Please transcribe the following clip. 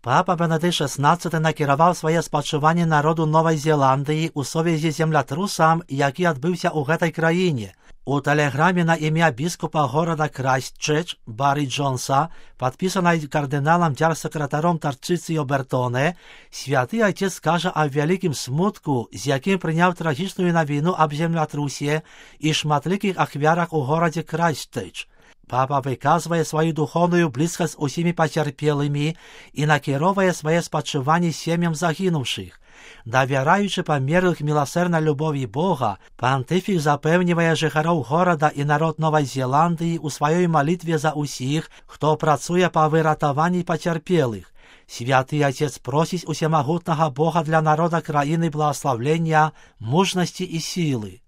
Папа Бенедикт XVI накіраваў свае спачуванні народу Новай Зеландыі ў сувязі з землятрусам, які адбыўся ў гэтай краіне. У тэлеграме на імя біскупа горада Крайстчерч Барі Джонса, падпісанай кардыналам дзяржсакратаром Тарчыцыё Бертоне, святы отец кажа аб вялікім смутку, з якім прыняў трагічную навіну аб землятрусе і шматлікіх ахвярах у горадзе Крайстчерч. Папа выказвае сваю духоўную блізкасць усімі пацярпелымі і накіроўвае свае спачуванні сем'ям загінуўшых. Давяраючы памерлых міласэрнай любові Бога, пантыфік запэўнівае жыхароў горада і народ Новай Зеландыі ў сваёй малітве за ўсіх, хто працуе па выратаванні пацярпелых. Святы отец просіць усемагутнага Бога для народа краіны благаславлення, мужнасці і сілы.